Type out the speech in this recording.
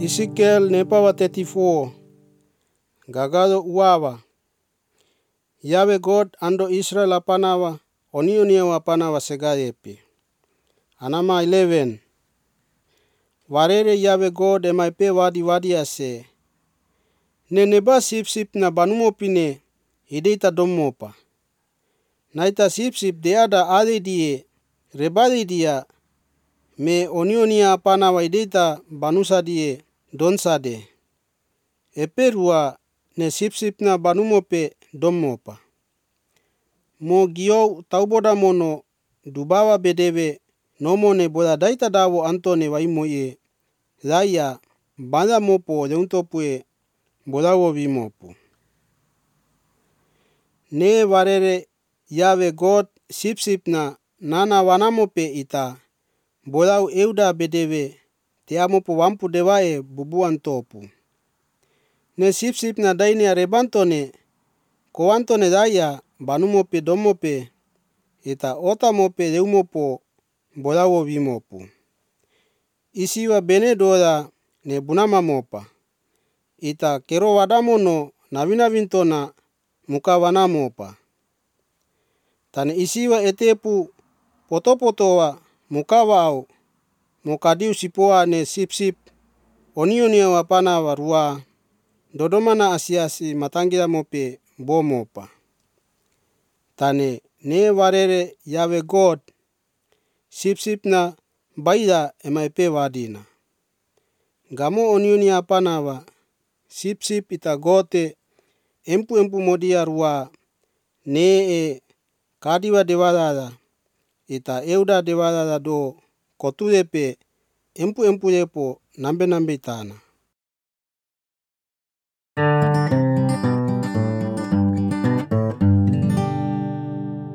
Ezekiel nepawa 34 gagado uawa Yahweh God ando Israel apanawa onionia apanawa segayepi. Anama 11 Warere Yahweh God emaipe wadi ase. Neneba sip na banumopine ideita domopa. Naita sip deada ade die rebade dia me onionia apanawa ideita banusa die donsade. Eperua ne sip na banumope domopa. Mo gio tauboda mono dubawa bedewe nomone boda daita dawo antone waimoye laya banda mopo leuntopue bodawo vimopo. Ne warere Yahweh God sip na nana wanamope ita bodau euda bedewe teamopo wampu dewae bubuan topu. Ne sip na daine rebantone koantone daya banumope domope ita otamope leumopo bodawo vimopo. Isiwa bene doda ne bunama mopa. Ita kero wadamono nawina vintona muka wanamopa. Tane isiwa etepu potopotowa mukawa au mukadiu sipoa ne sip onionia wapana warua dodomana asiasi matangira mope bomopa. Tane ne warere Yahweh God sip na baida emaipe wadina. Gamo onionia apanawa sip ita gote empu modia rua ne kadiwa dewada ita euda dewada do kotuepe empu lepo nambe tana.